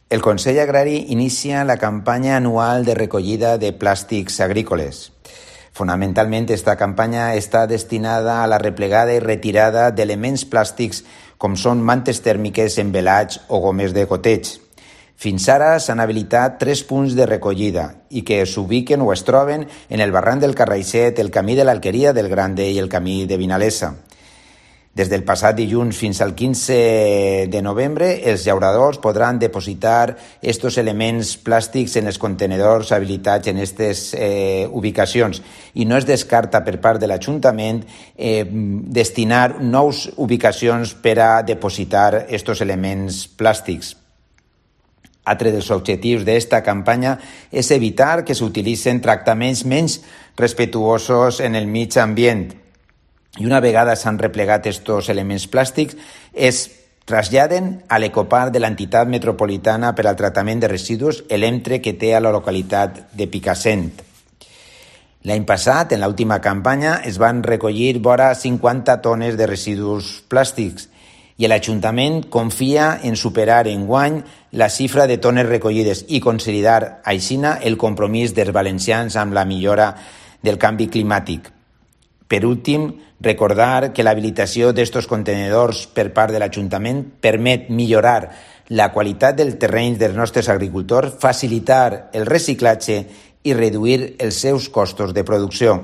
El Consell Agrari inicia la campanya anual de recollida de plàstics agrícoles. Fonamentalment, esta campanya està destinada a la replegada i retirada d'elements plàstics com són mantes tèrmiques, envelats o gomes de goteig. Fins ara s'han habilitat 3 punts de recollida i que s'ubiquen o es troben en el barranc del Carraixet, el camí de l'Alqueria del Grande i el camí de Vinalesa. Des del passat dilluns fins al 15 de novembre, els llauradors podran depositar estos elements plàstics en els contenedors habilitats en aquestes ubicacions i no es descarta per part de l'Ajuntament destinar nous ubicacions per a depositar estos elements plàstics. Altre dels objectius d'esta campanya és evitar que s'utilitzen tractaments menys respectuosos en el mig ambient. I una vegada s'han replegat estos elements plàstics, es traslladen a l'ecoparc de l'entitat metropolitana per al tractament de residus, l'EMTRE, que té a la localitat de Picassent. L'any passat, en l'última campanya, es van recollir vora 50 tones de residus plàstics i l'Ajuntament confia en superar enguany la xifra de tones recollides i consolidar aixina el compromís dels valencians amb la millora del canvi climàtic. Per últim, recordar que l'habilitació d'estos contenidors per part de l'Ajuntament permet millorar la qualitat del terreny dels nostres agricultors, facilitar el reciclatge i reduir els seus costos de producció.